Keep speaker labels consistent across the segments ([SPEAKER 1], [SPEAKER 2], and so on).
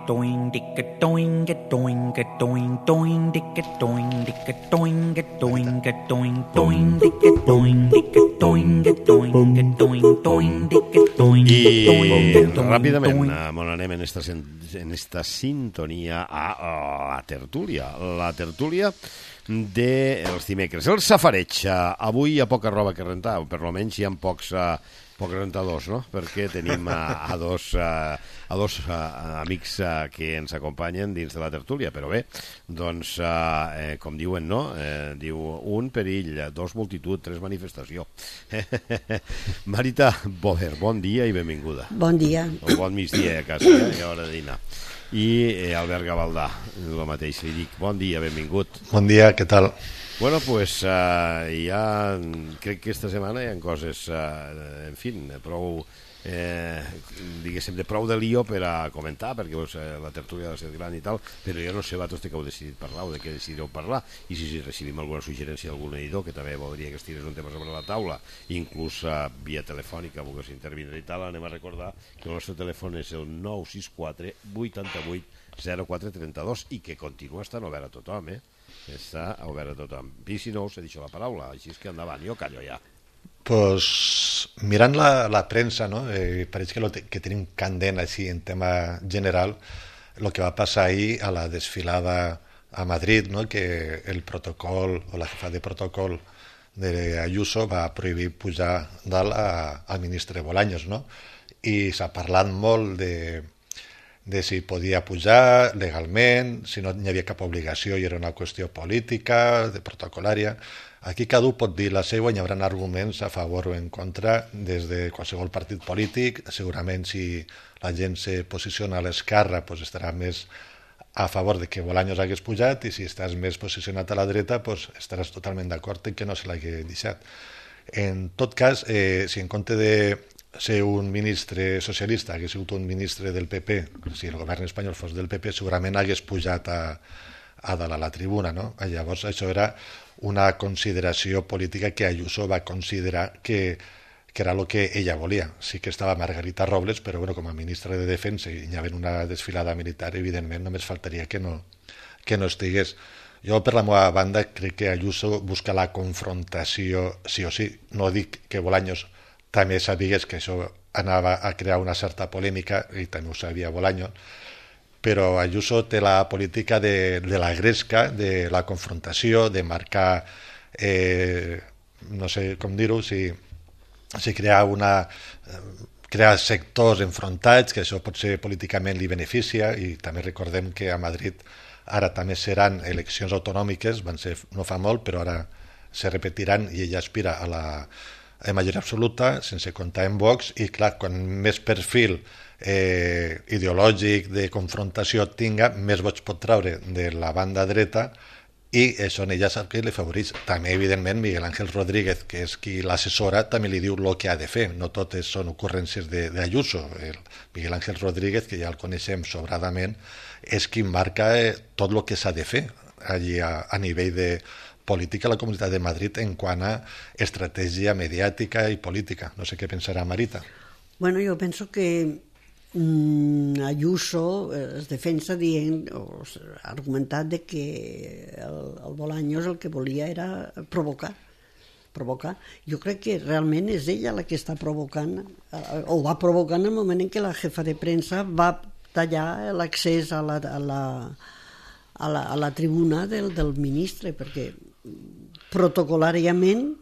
[SPEAKER 1] doing, dicka doing, get doing, get doing, doing, dicka doing, dicka doing, get doing, get doing, doing, dicka doing, dicka doing, get doing, get doing, doing, dicka doing, get doing, get doing.
[SPEAKER 2] Ràpidament anem en esta sintonia a la tertúlia. La tertúlia dels dimecres. El safareig. Avui hi ha poca roba que rentar, per almenys hi ha pocs rentadors, no? Perquè tenim a dos amics que ens acompanyen dins de la tertúlia, però bé, doncs, com diuen, no? Diu, un perill, dos multitud, tres manifestació. Marita Bover, bon dia i benvinguda.
[SPEAKER 3] Bon dia.
[SPEAKER 2] O bon migdia a casa, a hora de dinar. I Albert Gavaldà, el mateix li dic, bon dia, benvingut.
[SPEAKER 4] Bon dia, què tal?
[SPEAKER 2] Bueno, pues crec que esta setmana hi ha coses, en fi, prou, diguéssim, de prou de lío per a comentar, perquè la tertúlia ha de ser gran i tal, però jo no sé vosaltres de què heu decidit parlar o de què decidireu parlar, i si recibim alguna suggerència d'algun editor que també voldria que es tirés un tema sobre la taula, inclús via telefònica, volgués intervindre i tal, anem a recordar que el nostre telèfon és el 964 88 0432 i que continua estant obert a tothom, està obert a tothom. I si no us he dit la paraula, així és que endavant, jo callo ja.
[SPEAKER 4] Pues mirant la premsa, no? Pareix que tenim candent així en tema general el que va passar ahir a la desfilada a Madrid, no? Que el protocol o la jefa de protocol de Ayuso va prohibir pujar dalt al ministre Bolaños, no? I s'ha parlat molt de si podia pujar legalment, si no hi havia cap obligació i era una qüestió política, de protocolària. Aquí cada un pot dir la seva i hi haurà arguments a favor o en contra des de qualsevol partit polític. Segurament si la gent se posiciona a l'esquerra pues estarà més a favor de que Bolaños hagués pujat i si estàs més posicionat a la dreta pues estaràs totalment d'acord en que no se l'hagués deixat. En tot cas, si en compte de ser un ministre socialista hagués sigut un ministre del PP, si el govern espanyol fos del PP, segurament hagués pujat a dalt a la tribuna, no? Llavors això era una consideració política que Ayuso va considerar que era el que ella volia. Sí que estava Margarita Robles, però bueno, com a ministra de Defensa i hi havia una desfilada militar, evidentment només faltaria que no estigués. Jo, per la meva banda, crec que Ayuso busca la confrontació sí o sí. No dic que Bolaños també sabigués que això anava a crear una certa polèmica, i també ho sabia Bolaños, però Ayuso té la política de la gresca, de la confrontació, de marcar, no sé com dir-ho, si crear sectors enfrontats, que això potser políticament li beneficia, i també recordem que a Madrid ara també seran eleccions autonòmiques, van ser no fa molt, però ara se repetiran i ella aspira a la majoria absoluta, sense comptar en Vox, i clar, quan més perfil ideològic de confrontació tinga, més vots pot traure de la banda dreta i això en ella sap que li favoreix. També, evidentment, Miguel Ángel Rodríguez, que és qui l'assessora, també li diu el que ha de fer, no totes són ocurrències d'Ayuso. Miguel Ángel Rodríguez, que ja el coneixem sobradament, és qui marca tot el que s'ha de fer allí a nivell de política a la Comunitat de Madrid en quant a estratègia mediàtica i política. No sé què pensarà Marita.
[SPEAKER 3] Bueno, jo penso que Ayuso es defensa dient, o argumentat de que el Bolaños el que volia era provocar. Jo crec que realment és ella la que està provocant, o va provocant en el moment en què la jefa de premsa va tallar l'accés a la tribuna del ministre, perquè protocolàriament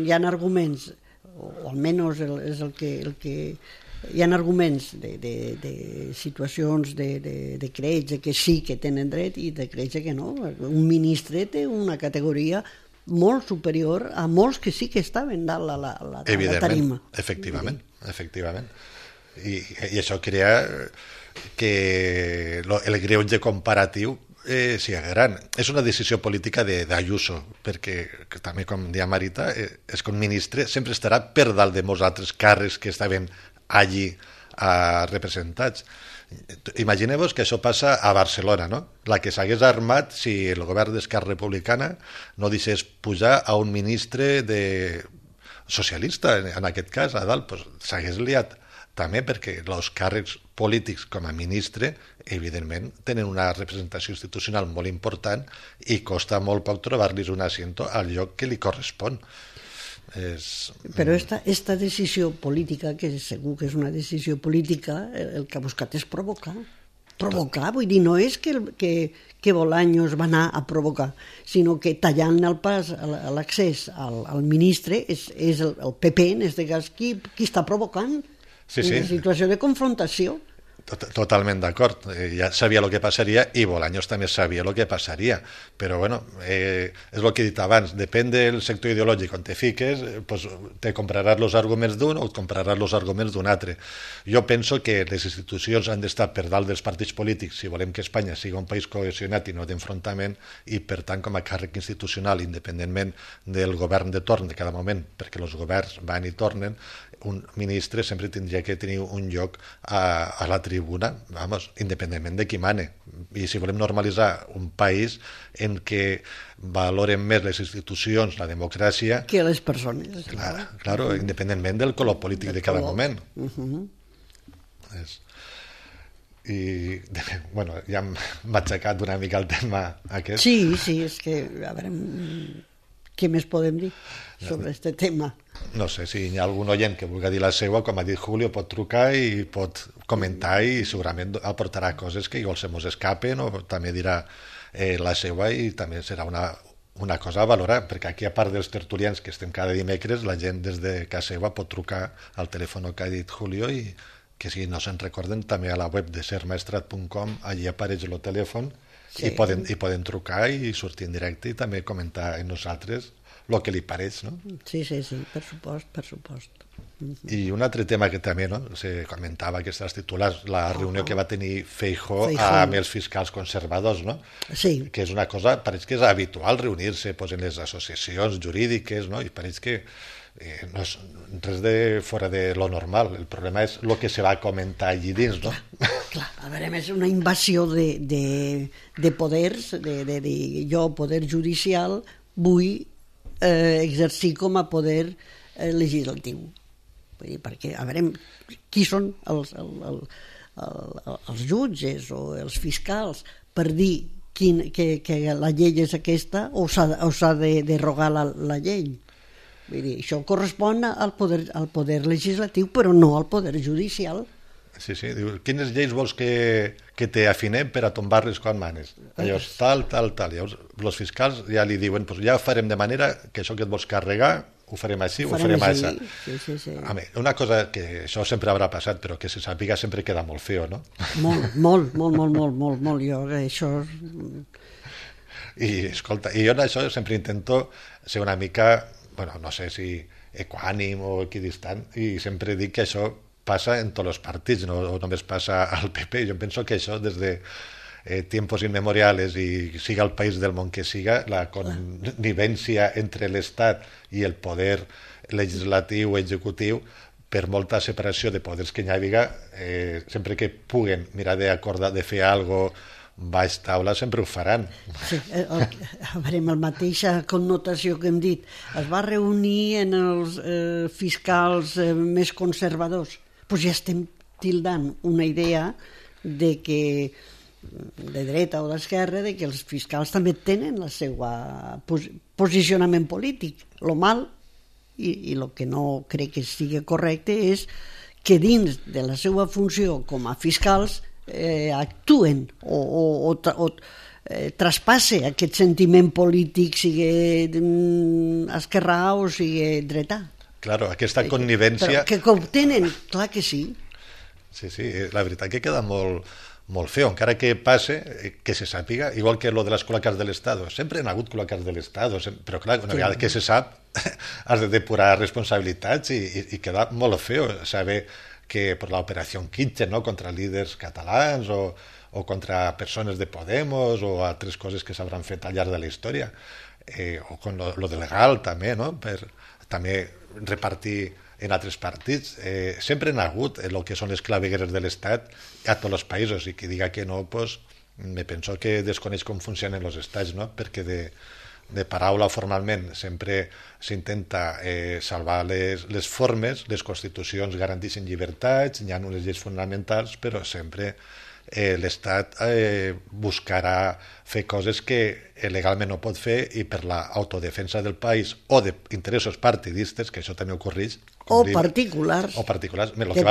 [SPEAKER 3] hi ha arguments, o almenys és el que hi ha arguments de situacions de creig que sí que tenen dret i de creig que no. Un ministre té una categoria molt superior a molts que sí que estaven dalt a la tarima.
[SPEAKER 4] Efectivament. I això crea que el greuge comparatiu sigui gran. És una decisió política d'Ayuso, perquè també, com deia Marita, és que un ministre sempre estarà per dalt de molts altres càrrecs que estaven allí representats. Imagineu-vos que això passa a Barcelona, no? La que s'hagués armat si el govern d'Esquerra Republicana no deixés pujar a un ministre socialista, en aquest cas, a dalt, s'hagués liat també perquè els càrrecs polítics com a ministre, evidentment, tenen una representació institucional molt important i costa molt poc trobar-los un asiento al lloc que li correspon.
[SPEAKER 3] Però esta decisió política, que segur que és una decisió política, el que ha buscat és provocar, vull dir, no és que Bolaños va anar a provocar, sinó que tallant el pas a l'accés al ministre és el PP, en aquest cas, qui està provocant una situació de confrontació.
[SPEAKER 4] Totalment d'acord, ja sabia el que passaria i Bolaños també sabia el que passaria, però bueno, és el que he dit abans, depèn del sector ideològic on te fiques, pues, te compraràs els arguments d'un o et compraràs els arguments d'un altre. Jo penso que les institucions han d'estar per dalt dels partits polítics si volem que Espanya sigui un país cohesionat i no d'enfrontament, i per tant com a càrrec institucional, independentment del govern de torn de cada moment, perquè els governs van i tornen, un ministre sempre tindria que tenir un lloc a la tribuna, vamos, independentment de qui mane. I si volem normalitzar un país en què valoren més les institucions, la democràcia...
[SPEAKER 3] Que les persones.
[SPEAKER 4] Claro, independentment del color polític de cada moment. I, bueno, ja hem matxacat una mica el tema aquest.
[SPEAKER 3] Sí, és que, a veure, què més podem dir sobre aquest tema?
[SPEAKER 4] No sé, si hi ha algun oient que vulgui dir la seva, com ha dit Julio, pot trucar i pot comentar i segurament aportarà coses que igual se mos escapen o també dirà la seva i també serà una cosa a valorar, perquè aquí a part dels tertulians que estem cada dimecres, la gent des de casa seva pot trucar al telèfon que ha dit Julio i que si no se'n recorden també a la web de sermaestrat.com, allí apareix el telèfon i poden trucar i sortir en directe i també comentar amb nosaltres el que li pareix, no?
[SPEAKER 3] Sí, per supost.
[SPEAKER 4] I un altre tema que també se comentava, aquestes titulars, la reunió que va tenir Feijóo amb els fiscals conservadors, no?
[SPEAKER 3] Sí.
[SPEAKER 4] Que és una cosa, pareix que és habitual reunir-se en les associacions jurídiques, no? I pareix que no és res de fora de lo normal. El problema és el que se va comentar allí dins, no?
[SPEAKER 3] Clar, a veure, és una invasió de poders, de dir jo, poder judicial, vull exercir com a poder legislatiu. Vull dir, perquè, a veure, qui són els jutges o els fiscals per dir que la llei és aquesta o s'ha de derogar la llei? Vull dir, això correspon al poder legislatiu, però no al poder judicial.
[SPEAKER 4] Sí, diu, quines lleis vols que te afinem per a tombar-les quan manes? Llavors, tal. Llavors, els fiscals ja li diuen, pues ja ho farem de manera que això que et vols carregar ho farem així, ho farem així.
[SPEAKER 3] Sí.
[SPEAKER 4] A mi, una cosa que això sempre haurà passat, però que se sàpiga sempre queda molt feo, no?
[SPEAKER 3] Molt. Jo, això...
[SPEAKER 4] I, escolta, i jo en això sempre intento ser una mica, bueno, no sé si equànim o equidistant, i sempre dic que això passa en tots els partits, no només passa al PP. Jo penso que això des de tiempos inmemoriales i siga el país del món que siga, la connivència entre l'Estat i el poder legislatiu o executiu, per molta separació de poders que hi hagi, sempre que puguen mirar d'acordar, de fer alguna cosa baix taula, sempre ho faran.
[SPEAKER 3] Sí, a veure, amb la mateixa connotació que hem dit, es va reunir en els fiscals més conservadors. Doncs ja estem tildant una idea de que de dreta o d'esquerra, de que els fiscals també tenen el seu posicionament polític. Lo mal i el que no crec que sigui correcte és que dins de la seva funció com a fiscals actuen o traspasse aquest sentiment polític, sigui esquerrà o sigui dretà.
[SPEAKER 4] Claro, aquesta connivència...
[SPEAKER 3] Però que ho tenen, clar que sí.
[SPEAKER 4] Sí, la veritat que queda molt feo, encara que passe, que se sàpiga, igual que lo de les cloacas de l'Estado. Sempre han hagut cloacas de l'Estado, però clar, una vegada que se sap, has de depurar responsabilitats i queda molt feo saber que per l'operació Kitchen, no?, contra líders catalans o contra persones de Podemos o altres coses que s'hauran fet al llarg de la història, o con lo de legal també, no?, per també repartir en altres partits. Sempre han hagut el que són les clavegueres de l'Estat a tots els països, i qui diga que no, pues, me penso que desconeix com funcionen els estats, no?, perquè de paraula formalment sempre s'intenta salvar les formes, les constitucions garanteixen llibertats, hi ha unes lleis fonamentals, però sempre l'Estat buscarà fer coses que legalment no pot fer i per l'autodefensa del país o d'interessos partidistes, que això també ho correix,
[SPEAKER 3] o particulars,
[SPEAKER 4] el
[SPEAKER 3] que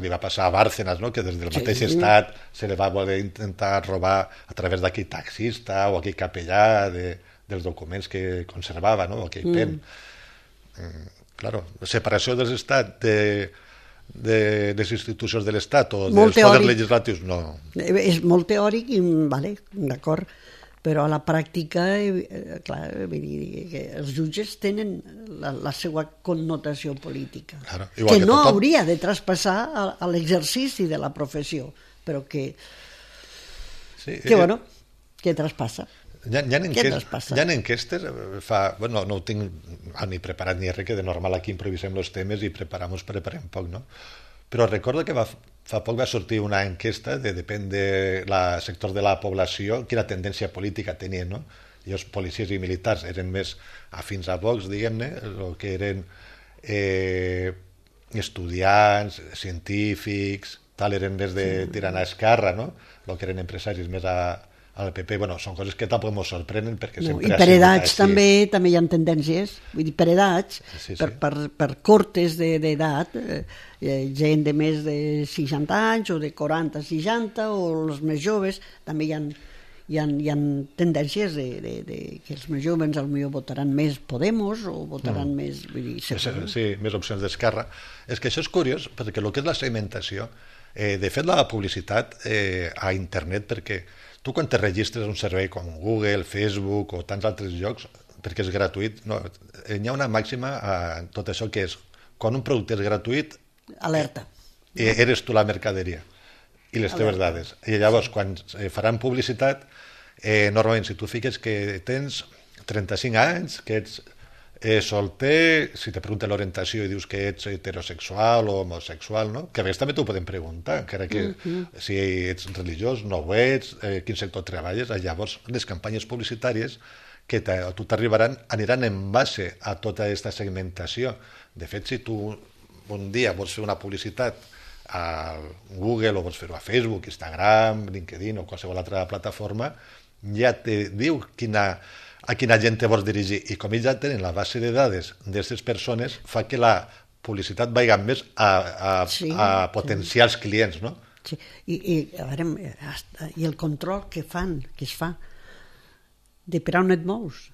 [SPEAKER 4] li va passar a Bárcenas, no? Que des del mateix estat se li va voler intentar robar a través d'aquell taxista o aquell capellà dels documents que conservava, no? Aquell pen. Claro, separació dels estats de les institucions de l'Estat o dels poders legislatius, no.
[SPEAKER 3] És molt teòric, i vale, d'acord, però a la pràctica, clar, vull dir que els jutges tenen la seva connotació política, claro, que no hauria de traspassar a l'exercici de la professió, però que bueno, que traspassa.
[SPEAKER 4] Hi ha enquestes, no ho tinc ni preparat ni res, que de normal aquí improvisem els temes i preparem poc, no? Però recordo que fa poc va sortir una enquesta depèn del sector de la població, quina tendència política tenien, no? I els policies i militars eren més afins a Vox, diguem-ne, el que eren estudiants, científics, eren més de tirant a Esquerra, no? El que eren empresaris més al PP, bueno, són coses que tampoc ens sorprenen perquè sempre...
[SPEAKER 3] I per edats també hi ha tendències, vull dir, per edats, per cortes d'edat, gent de més de 60 anys o de 40 a 60 o els més joves, també hi ha tendències que els més joves potser votaran més Podemos o votaran més...
[SPEAKER 4] Sí, més opcions d'Esquerra. És que això és curiós, perquè el que és la segmentació, de fet la publicitat a internet, perquè tu quan te registres a un servei com Google, Facebook o tants altres llocs, perquè és gratuït, hi ha una màxima a tot això que és, quan un producte és gratuït,
[SPEAKER 3] alerta.
[SPEAKER 4] Eres tu la mercaderia i les teves dades. I llavors, quan faran publicitat, normalment si tu fiques que tens 35 anys, que ets solter, si te pregunten l'orientació i dius que ets heterosexual o homosexual, no? Que a vegades també t'ho podem preguntar, encara que si ets religiós, no ho ets, quin sector treballes, llavors les campanyes publicitàries que a tu t'arribaran aniran en base a tota aquesta segmentació. De fet, si tu un dia vols fer una publicitat a Google o vols fer-ho a Facebook, Instagram, LinkedIn o qualsevol altra plataforma, ja te diu a quina gent te vols dirigir, i com ells ja tenen la base de dades d'aquestes persones, fa que la publicitat vagi més a potencials clients, no?
[SPEAKER 3] Sí. I el control que es fa de per on et mous.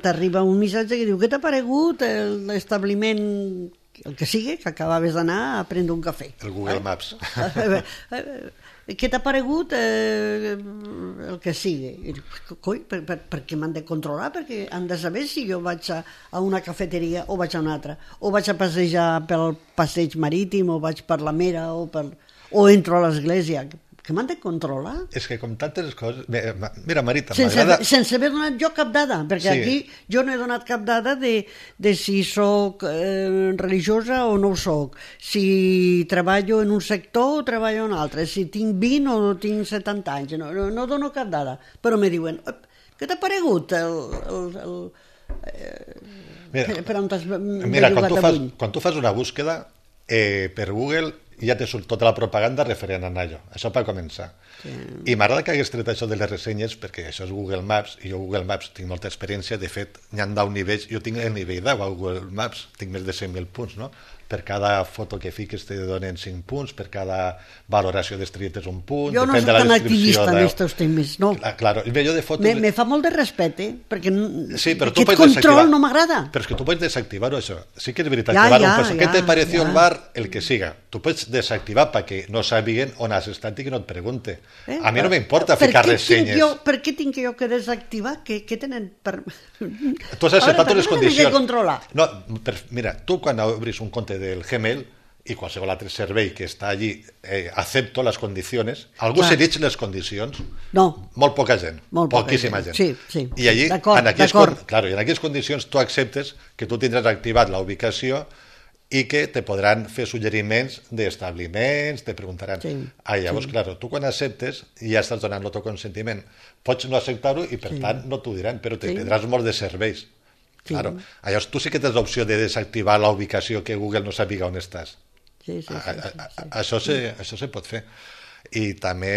[SPEAKER 3] T'arriba un missatge que diu: què t'ha paregut l'establiment, el que sigui, que acabaves d'anar a prendre un cafè?
[SPEAKER 4] El Google Maps.
[SPEAKER 3] Què t'ha paregut el que sigui? Coi, per què m'han de controlar? Perquè han de saber si jo vaig a una cafeteria o vaig a una altra, o vaig a passejar pel passeig marítim, o vaig per la Mera, o entro a l'església. Que m'han de controlar?
[SPEAKER 4] És que com tantes coses... Mira, Marita, m'agrada...
[SPEAKER 3] Sense haver donat jo cap dada, perquè aquí jo no he donat cap dada de si soc religiosa o no ho soc, si treballo en un sector o treballo en un altre, si tinc 20 o tinc 70 anys, no dono cap dada, però me diuen: què t'ha paregut per on t'has bellugat avui?
[SPEAKER 4] Quan tu fas una búsqueda per Google, ja te surt tota la propaganda referent a allò. Això per començar. I m'agrada que hagués tret això de les ressenyes, perquè això és Google Maps, i jo Google Maps tinc molta experiència. De fet, n'hi ha 10 nivells. Jo tinc el nivell 10 a Google Maps, tinc més de 100.000 punts, no? Per cada foto que fiques te donen 5 punts, per cada valoració d'estrelletes un punt.
[SPEAKER 3] Jo no soc tan activista en aquests temes, no.
[SPEAKER 4] Claro, jo de fotos...
[SPEAKER 3] Me fa molt de respecte, perquè
[SPEAKER 4] aquest
[SPEAKER 3] control no m'agrada.
[SPEAKER 4] Però és que tu pots desactivar-ho, això. Sí que és veritat. ¿Qué te pareció el bar? El que siga. Tu pots desactivar perquè no sàpiguen on has estat i que no et pregunte. A mi no m'importa ficar ressenyes.
[SPEAKER 3] Per què tinc jo que desactivar? Què tenen per...
[SPEAKER 4] Tu has acceptat les condicions.
[SPEAKER 3] No,
[SPEAKER 4] mira, tu quan obris un compte del Gmail i qualsevol altre servei que està allí, acepto les condicions. Algú segueix les condicions?
[SPEAKER 3] No.
[SPEAKER 4] Molt poca gent. Poquíssima gent.
[SPEAKER 3] Sí.
[SPEAKER 4] I allí, en aquelles condicions, tu acceptes que tu tindràs activat la ubicació i que te podran fer suggeriments d'establiments, te preguntaran...
[SPEAKER 3] Sí,
[SPEAKER 4] llavors, clar, tu quan acceptes ja estàs donant el teu consentiment. Pots no acceptar-ho i, per tant, no t'ho diran, però te prendràs molt de serveis.
[SPEAKER 3] Sí.
[SPEAKER 4] Claro. Llavors, tu sí que tens l'opció de desactivar la ubicació que Google no sàpiga on estàs.
[SPEAKER 3] Sí.
[SPEAKER 4] Això se pot fer. I també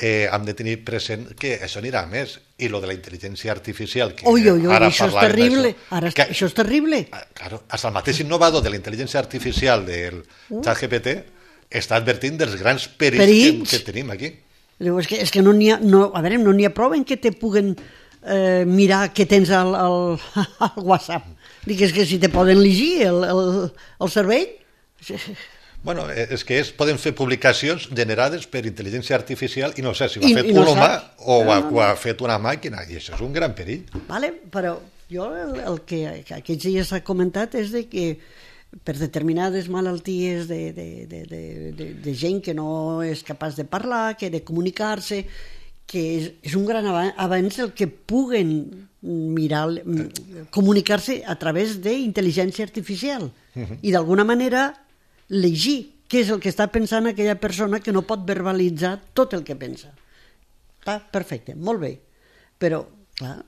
[SPEAKER 4] hem de tenir present que això anirà a més. I lo de la intel·ligència artificial, que ara
[SPEAKER 3] això és terrible. Això és terrible.
[SPEAKER 4] Claro, hasta el mateix innovador de la intel·ligència artificial del ChatGPT està advertint dels grans perills que tenim aquí.
[SPEAKER 3] És que no n'hi ha prou en que te puguen mirar què tens al WhatsApp. Dic, és que si te poden llegir el cervell...
[SPEAKER 4] Bueno, és que poden fer publicacions generades per intel·ligència artificial i no sé si ho ha fet un humà o ho ha fet una màquina, i això és un gran perill.
[SPEAKER 3] Vale, però jo el que aquests dies s'ha comentat és de que per determinades malalties de gent que no és capaç de parlar, que de comunicar-se, que és un gran avanç el que puguen comunicar-se a través d'intel·ligència artificial i d'alguna manera llegir què és el que està pensant aquella persona que no pot verbalitzar tot el que pensa. Està perfecte, molt bé, però clar,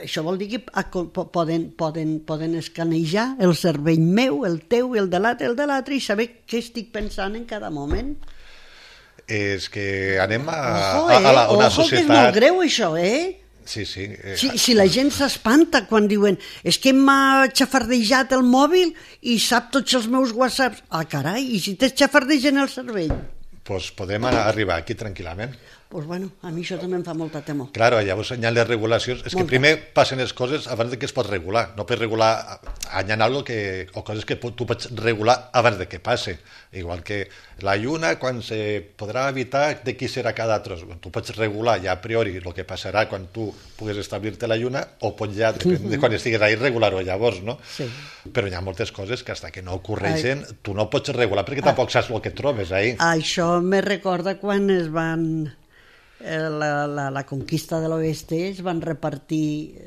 [SPEAKER 3] això vol dir que poden escanejar el cervell meu, el teu, el de l'altre i saber què estic pensant en cada moment.
[SPEAKER 4] És que anem a una societat...
[SPEAKER 3] que és molt greu això,
[SPEAKER 4] Sí.
[SPEAKER 3] Si la gent s'espanta quan diuen és que m'ha xafardejat el mòbil i sap tots els meus whatsapps. Carai, i si t'es xafardejant el cervell?
[SPEAKER 4] Doncs podem arribar aquí tranquil·lament.
[SPEAKER 3] Doncs bueno, a mi això també em fa molta temor.
[SPEAKER 4] Claro, llavors hi ha les regulacions. És que primer passen les coses abans de que es pot regular. No pots regular, hi ha o coses que tu pots regular abans de que passe. Igual que la lluna, quan se podrà evitar de qui serà cada tros. Tu pots regular ja a priori el que passarà quan tu puguis establir-te la lluna o pots ja, depèn de quan estiguis ahí, regular-ho llavors, no?
[SPEAKER 3] Sí.
[SPEAKER 4] Però hi ha moltes coses que fins que no ocorreixen tu no pots regular perquè tampoc saps el que et trobes ahí.
[SPEAKER 3] Això me recorda quan es van... la conquista de l'oest es van repartir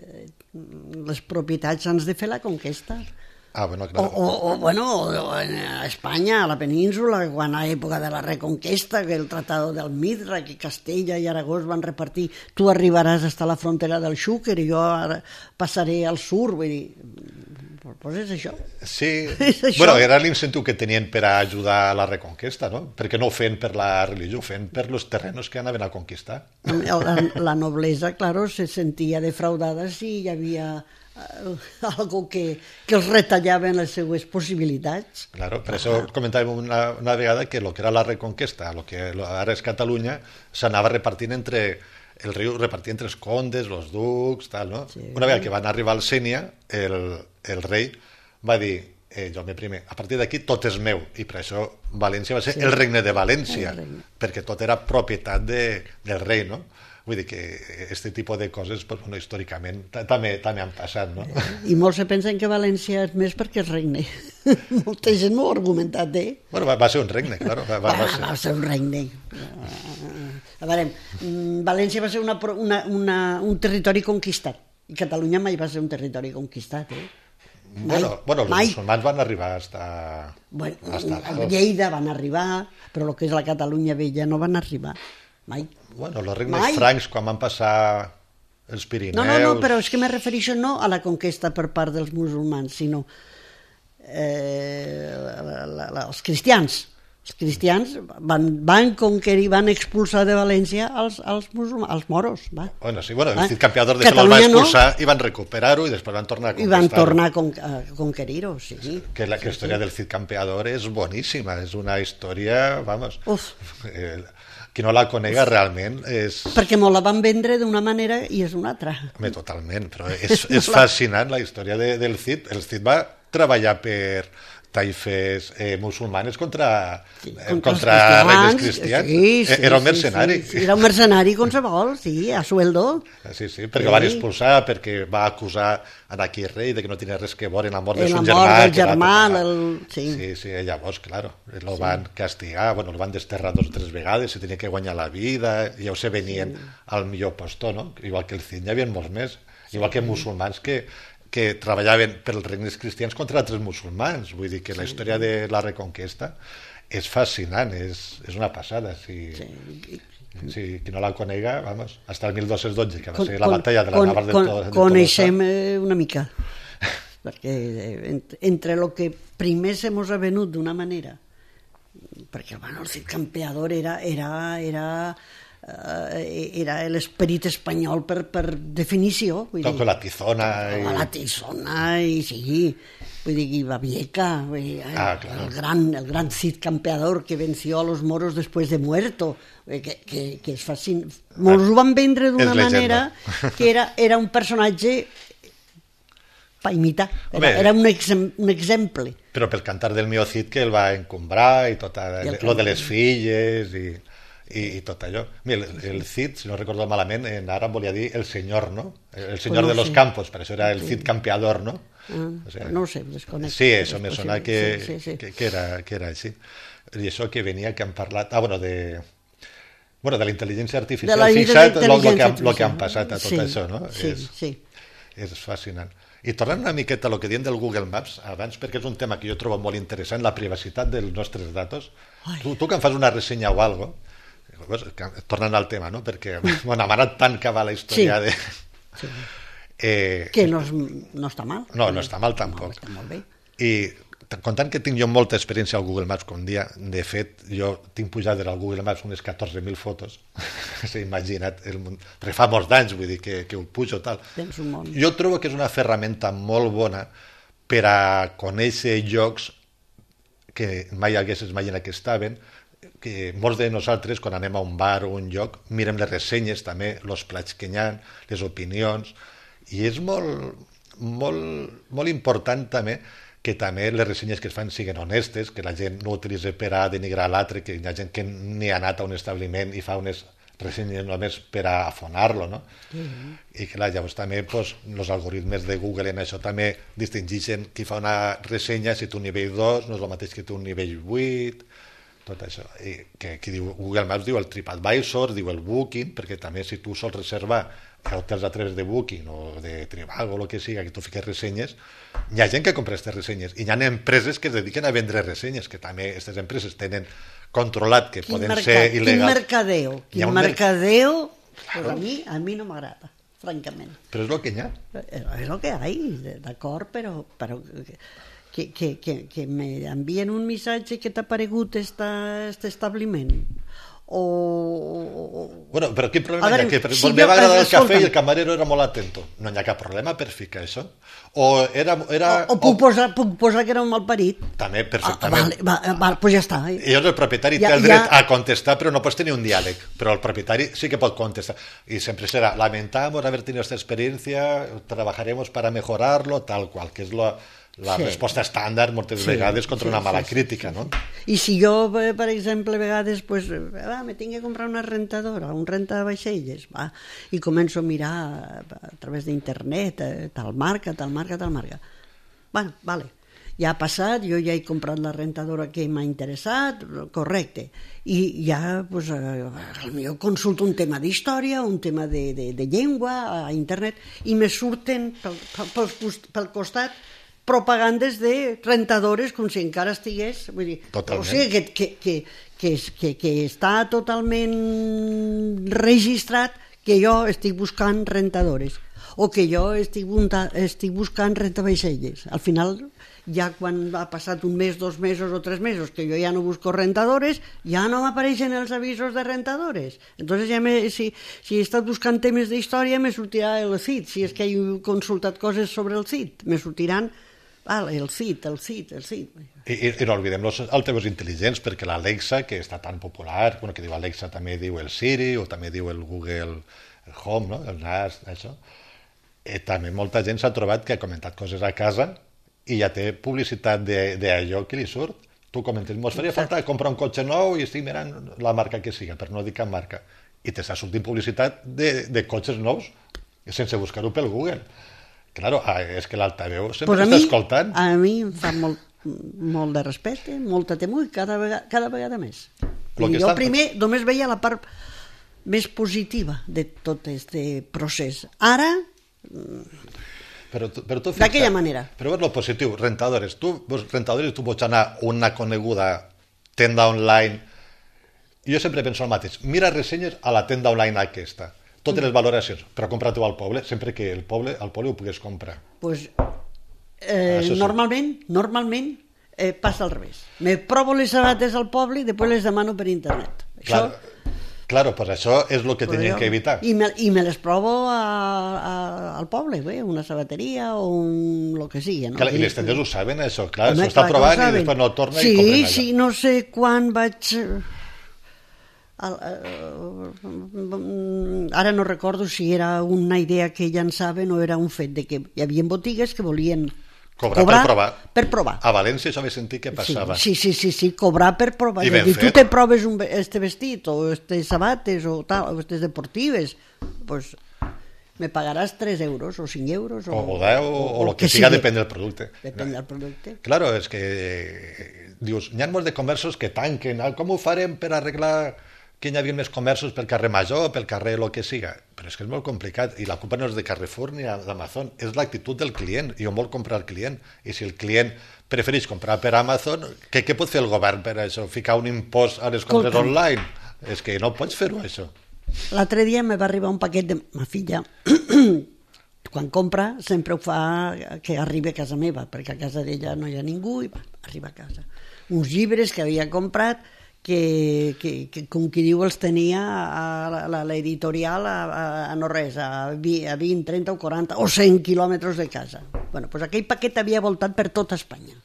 [SPEAKER 3] les propietats abans de fer la conquesta.
[SPEAKER 4] Bueno, claro.
[SPEAKER 3] A Espanya, a la península, quan a l'època de la Reconquesta, que el Tratado del Midra, que Castella i Aragó es van repartir, tu arribaràs fins a la frontera del Xúquer i jo ara passaré al sur, vull dir, doncs és això.
[SPEAKER 4] Sí, bueno, era l'incentiu que tenien per a ajudar a la Reconquesta, no? Perquè no ho feien per la religió, ho feien per els terrenos que anaven a conquistar.
[SPEAKER 3] La noblesa, claro, se sentia defraudada si hi havia algo que els retallaven les seues possibilitats.
[SPEAKER 4] Claro, per això comentàvem una vegada que el que era la Reconquesta, el que ara és Catalunya, s'anava repartint entre el rei, repartia entre els condes, els ducs, tal, no? Sí. Una vegada que van arribar al Sénia, el rei va dir, Jaume I, a partir d'aquí tot és meu, i per això València va ser el regne de València, perquè tot era propietat del rei, no? Vull dir que aquest tipus de coses, pues, bueno, històricament també han passat, no?
[SPEAKER 3] I molts se pensen que València és més perquè és regne. Molta gent m'ho ha argumentat,
[SPEAKER 4] Bueno, va ser un regne, claro.
[SPEAKER 3] Va ser un regne. A veure, València va ser un territori conquistat, i Catalunya mai va ser un territori conquistat,
[SPEAKER 4] Bueno, els musulmans van arribar hasta
[SPEAKER 3] Lleida van arribar, però el que és la Catalunya vella no van arribar mai.
[SPEAKER 4] Bueno, els regnes francs quan van passar els Pirineus...
[SPEAKER 3] No, però és que me refereixo no a la conquesta per part dels musulmans, sinó els cristians. Els cristians van conquerir, van expulsar de València els musulmans, els moros.
[SPEAKER 4] Bueno, sí, el Cid Campeador de això els va expulsar i van recuperar-ho i després van tornar a conquistar-ho.
[SPEAKER 3] I van tornar a conquerir-ho, sí.
[SPEAKER 4] Que la història del Cid Campeador és boníssima, és una història, vamos... Qui no la conega realment és...
[SPEAKER 3] Perquè me la van vendre d'una manera i és una altra.
[SPEAKER 4] Totalment, però és fascinant la història del Cid. El Cid va treballar per taifes musulmanes contra regnes cristians. Era un mercenari.
[SPEAKER 3] Era un mercenari qualsevol, sí, a sueldo.
[SPEAKER 4] Sí, perquè van expulsar, perquè va acusar aquí el rei de que no tenia res que veure en la mort del seu germà.
[SPEAKER 3] La mort del germà.
[SPEAKER 4] Sí, llavors, claro, el van castigar, el van desterrar 2 o 3 vegades, se tenia que guanyar la vida, ja se venien al millor postor, no? Igual que el Cid, hi havia molts més. Igual que musulmans que que treballaven pels regnes cristians contra altres musulmans. Vull dir que la història de la Reconquesta és fascinant, és una passada. Si qui no la conega, vamos, hasta el 1212, que va ser la batalla de la Navas de Tolosa.
[SPEAKER 3] Coneixem una mica, perquè entre el que primer se mos ha venut d'una manera, perquè el Cid Campeador era l'esperit espanyol per definició.
[SPEAKER 4] Con la tizona.
[SPEAKER 3] La tizona, i sí, vull dir, i Babieca, el gran Cid Campeador que venció a los moros después de muerto, que és fascinant. Mos ho van vendre d'una manera que era un personatge per imitar, era un exemple.
[SPEAKER 4] Però pel cantar del Mio Cid, que el va encombrar i tot lo de les filles i tot allò. El Cid, si no recordo malament, en àrab volia dir el senyor, no? El senyor de los campos, per això era el Cid Campeador, no?
[SPEAKER 3] No ho sé, desconec.
[SPEAKER 4] Sí, això me sona que era així. I això que venia, que han parlat... de la intel·ligència artificial. Fixa't el que han passat a tot això, no?
[SPEAKER 3] Sí.
[SPEAKER 4] És fascinant. I tornant una miqueta a lo que diem del Google Maps abans, perquè és un tema que jo trobo molt interessant, la privacitat dels nostres datos. Tu que em fas una ressenya o algo, tornant al tema, no? Perquè m'ha anat tant que va la història de...
[SPEAKER 3] Que no està mal.
[SPEAKER 4] No està mal tampoc.
[SPEAKER 3] Està molt bé.
[SPEAKER 4] I comptant que tinc jo molta experiència al Google Maps com dia, de fet, jo tinc pujades al Google Maps unes 14.000 fotos, s'ha imaginat, perquè fa molts d'anys, vull dir, que ho pujo tal.
[SPEAKER 3] Tens un món.
[SPEAKER 4] Jo trobo que és una ferramenta molt bona per a conèixer llocs que mai hagués imaginat que estaven, que molts de nosaltres, quan anem a un bar o un lloc, mirem les ressenyes també, els plats que hi ha, les opinions, i és molt important també que també les ressenyes que es fan siguin honestes, que la gent no utilitzi per a denigrar l'altre, que hi ha gent que ni ha anat a un establiment i fa unes ressenyes només per a afonar-lo, no? I clar, llavors també els algoritmes de Google en això també distingeixen qui fa una ressenya, si té un nivell 2 no és el mateix que té un nivell 8, tot això. I que diu, Google Maps diu el TripAdvisor, diu el Booking, perquè també si tu sols reservar hotels a través de Booking o de Trivago o el que siga, que tu fiques ressenyes, hi ha gent que compra aquestes ressenyes i hi ha empreses que es dediquen a vendre ressenyes, que també aquestes empreses tenen controlat que poden ser il·legals.
[SPEAKER 3] Quin mercadeo, pues a mi no m'agrada, francament.
[SPEAKER 4] Però és el que hi ha.
[SPEAKER 3] És el que hi ha, d'acord, però que me envien un missatge que t'ha aparegut este establiment.
[SPEAKER 4] Bueno, però quin problema hi ha? Que me va agradar el cafè i el camarero era molt atento. No hi ha cap problema per ficar això? O
[SPEAKER 3] puc posar que era un malparit?
[SPEAKER 4] També, perfectament.
[SPEAKER 3] Pues ja està.
[SPEAKER 4] I el propietari té el dret a contestar, però no pots tenir un diàleg. Però el propietari sí que pot contestar. I sempre serà, lamentamos haber tenido esta experiencia, trabajaremos para mejorarlo, tal qual, que és la resposta estàndard moltes vegades contra una mala crítica, no?
[SPEAKER 3] I si jo, per exemple, a vegades me tinc que comprar una rentadora, un rentavaixelles, i començo a mirar a través d'internet, tal marca. Bueno, vale, ja ha passat, jo ja he comprat la rentadora que m'ha interessat, correcte, i ja potser consulto un tema d'història, un tema de llengua a internet, i me surten pel costat propagandes de rentadores com si encara estigués, vull dir, o sigui que està totalment registrat que jo estic buscant rentadores o que jo estic buscant rentavaixelles. Al final, ja quan ha passat un mes, 2 mesos o 3 mesos que jo ja no busco rentadores, ja no m'apareixen els avisos de rentadores. Entonces si he estat buscant temes d'història me sortirà el CID, si és que he consultat coses sobre el CID, me sortiran el CID.
[SPEAKER 4] I no oblidem els altaveus intel·ligents, perquè l'Alexa, que està tan popular, que diu Alexa també diu el Siri o també diu el Google Home, no? El NAS, això. També molta gent s'ha trobat que ha comentat coses a casa i ja té publicitat d'allò que li surt. Tu comentes, mos faria falta comprar un cotxe nou i estic mirant la marca que siga, per no dir cap marca. I t'està sortint publicitat de cotxes nous sense buscar-ho pel Google. Claro, és que l'altaveu sempre està escoltant.
[SPEAKER 3] A mi em fa molt de respecte, molta temor, cada vegada més. Jo primer només veia la part més positiva de tot aquest procés. Ara
[SPEAKER 4] Però tu
[SPEAKER 3] d'aquella manera.
[SPEAKER 4] Però és lo positiu, rentadores. Tu pots anar a una coneguda tenda online. Jo sempre penso el mateix. Mira ressenyes a la tenda online aquesta. Totes les valoracions, però compra-t'ho al poble, sempre que al poble ho pugues comprar.
[SPEAKER 3] Pues,
[SPEAKER 4] sí.
[SPEAKER 3] normalment passa al revés. Me provo les sabates al poble i després les demano per internet.
[SPEAKER 4] Claro, pues això és el que tenien que evitar.
[SPEAKER 3] I me les provo al poble, una sabateria o lo que sigui. No?
[SPEAKER 4] Clar, i les tendes ho saben, això, clar, s'ho està provant i després no torna i compren allà.
[SPEAKER 3] Sí, no sé quan vaig... Ara no recordo si era una idea que llançaven o era un fet de que hi havia botigues que volien cobrar per provar.
[SPEAKER 4] A València això vaig sentir que passava.
[SPEAKER 3] Sí, cobrar per provar.
[SPEAKER 4] I ben fet.
[SPEAKER 3] Tu te proves este vestit o estes sabates o estes deportives, pues me pagaràs 3 euros o 5 euros
[SPEAKER 4] o 10 o el que siga, depèn del producte.
[SPEAKER 3] Depèn del producte.
[SPEAKER 4] Claro, és que dius, n'hi ha molts de comerços que tanquen, com ho farem per arreglar que hi havia més comerços pel carrer Major, pel carrer el que siga, però és que és molt complicat i la culpa no és de Carrefour ni d'Amazon, és l'actitud del client, i on vol comprar el client, i si el client prefereix comprar per Amazon, què pot fer el govern per això? Ficar un impost a les compres online? És que no pots fer-ho, això.
[SPEAKER 3] L'altre dia me va arribar un paquet de ma filla, quan compra sempre ho fa que arribi a casa meva, perquè a casa d'ella no hi ha ningú i arriba a casa. Uns llibres que havia comprat que com qui diu els tenia a l'editorial a no res, a 20, 30 o 40 o 100 quilòmetres de casa. Bueno, pues aquell paquet havia voltat per tota Espanya.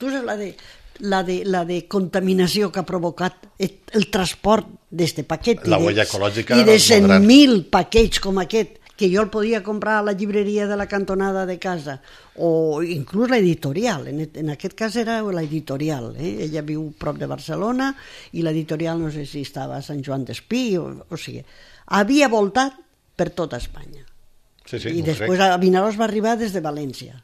[SPEAKER 3] Tu saps la de contaminació que ha provocat el transport d'este paquet
[SPEAKER 4] la huella ecològica
[SPEAKER 3] i de 100.000 paquets com aquest que jo el podia comprar a la llibreria de la cantonada de casa o inclús l'editorial, en aquest cas era l'editorial, ella viu prop de Barcelona i l'editorial no sé si estava a Sant Joan d'Espí o sigui, havia voltat per tota Espanya i després a Vinaròs va arribar des de València.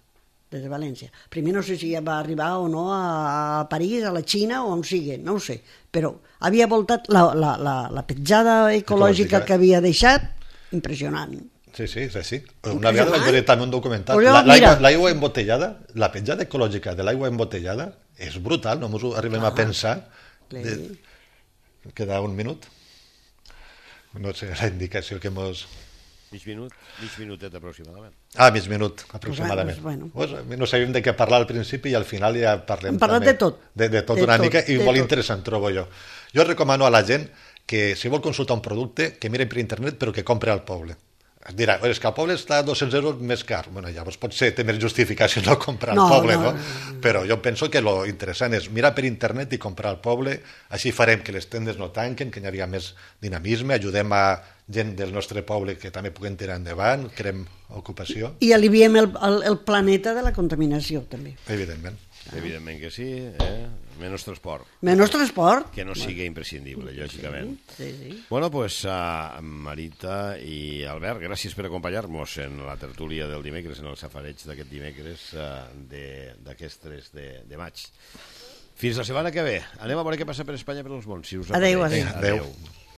[SPEAKER 3] Primer no sé si va arribar o no a París, a la Xina o on sigui, no ho sé, però havia voltat la petjada ecològica que havia deixat, impressionant.
[SPEAKER 4] Sí. Una vegada vaig veure també un documental. L'aigua embotellada, la petjada ecològica de l'aigua embotellada és brutal, no ens ho arribem a pensar. Queda un minut? No sé, la indicació que mos...
[SPEAKER 2] Mig minutet aproximadament.
[SPEAKER 4] Mig minut aproximadament.
[SPEAKER 3] Pues,
[SPEAKER 4] no sabíem de què parlar al principi i al final ja parlem
[SPEAKER 3] de tot.
[SPEAKER 4] De tot una mica i molt interessant, trobo jo. Jo recomano a la gent que si vol consultar un producte que mire per internet però que compre al poble. Es dirà, és que al poble està 200 euros més car. Bueno, llavors potser té més justificació no comprar al poble, no? Però jo penso que lo interessant és mirar per internet i comprar al poble, així farem que les tendes no tanquen, que hi hagi més dinamisme, ajudem a gent del nostre poble que també puguem tirar endavant, creem ocupació.
[SPEAKER 3] I aliviem el planeta de la contaminació, també.
[SPEAKER 4] Evidentment.
[SPEAKER 2] Evidentment que sí, menys transport.
[SPEAKER 3] Menys transport.
[SPEAKER 2] Que no sigui imprescindible, lògicament.
[SPEAKER 3] Sí.
[SPEAKER 2] Bueno, pues Marita i Albert, gràcies per acompanyar-nos en la tertúlia del dimecres, en el safareig d'aquest dimecres d'aquest 3 de maig. Fins la setmana que ve. Anem a veure què passa per Espanya per els mons.
[SPEAKER 3] Adéu.
[SPEAKER 2] Adéu.